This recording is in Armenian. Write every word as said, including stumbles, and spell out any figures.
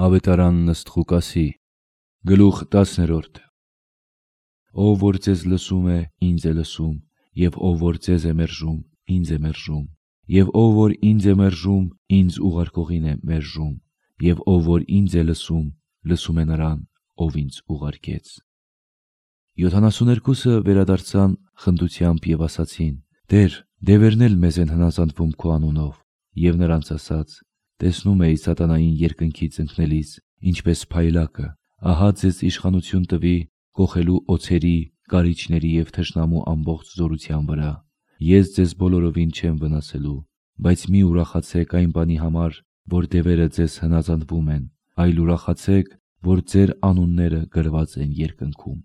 Ավետարան ըստ Ղուկասի, գլուխ տասներորդ։ Ով որ ձեզ լսում է, ինձ է լսում, և ով որ ձեզ է մերժում, ինձ է մերժում, և ով որ ինձ է մերժում, ինձ ուղարկողին է մերժում, և ով որ ինձ է լսում, լսում է նրան, ով ինձ ուղարկեց։ Յոթանասուներկուսը վերադարձան խնդությամբ և ասացին. Տե՛ր, դևերն էլ մեզ են հնազանդվում քո անունով։ Եվ նրանց ասաց. տեսնում էի սատանային երկնքից ընկնելիս, ինչպես փայլակը, ահա ձեզ իշխանություն տվի կոխելու օձերի, կարիճների և թշնամու ամբողջ զորության վրա։ Ես ձեզ բոլորովին չեմ վնասելու, բայց մի ուրախացեք այն բանի համար, որ դևերը ձեզ հնազանդվում են, այլ ուրախացեք, որ ձեր անունները գրված են երկնքում։